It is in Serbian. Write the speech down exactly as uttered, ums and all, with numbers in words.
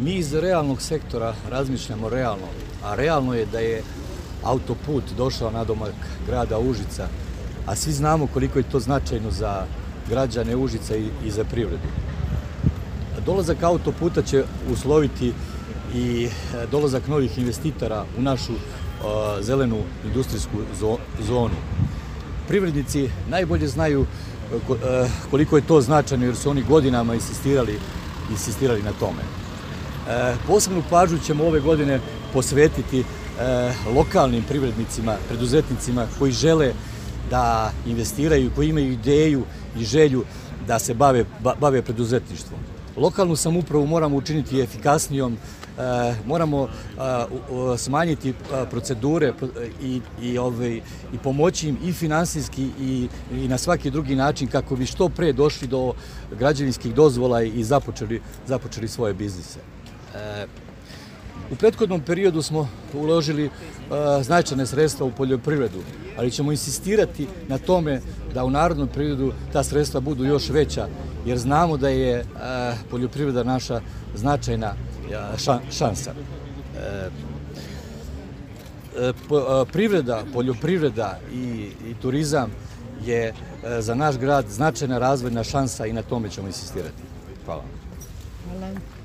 Mi iz realnog sektora razmišljamo realno, a realno je da je autoput došao na domak grada Užica, a svi znamo koliko je to značajno za građane Užica i za privredu. Dolazak autoputa će usloviti i dolazak novih investitora u našu zelenu industrijsku zonu. Privrednici najbolje znaju koliko je to značajno jer su oni godinama insistirali, insistirali na tome. Posebnu pažnju ćemo ove godine posvetiti lokalnim privrednicima, preduzetnicima koji žele da investiraju, koji imaju ideju i želju da se bave, bave preduzetništvom. Lokalnu samoupravu moramo učiniti efikasnijom, moramo smanjiti procedure i, i, ovaj, i pomoći im i finansijski i, i na svaki drugi način kako bi što pre došli do građevinskih dozvola i započeli, započeli svoje biznise. U prethodnom periodu smo uložili značajne sredstva u poljoprivredu, ali ćemo insistirati na tome da u narednom periodu ta sredstva budu još veća, jer znamo da je poljoprivreda naša značajna šansa. Privreda, poljoprivreda i, i turizam je za naš grad značajna razvojna šansa i na tome ćemo insistirati. Hvala. Hvala.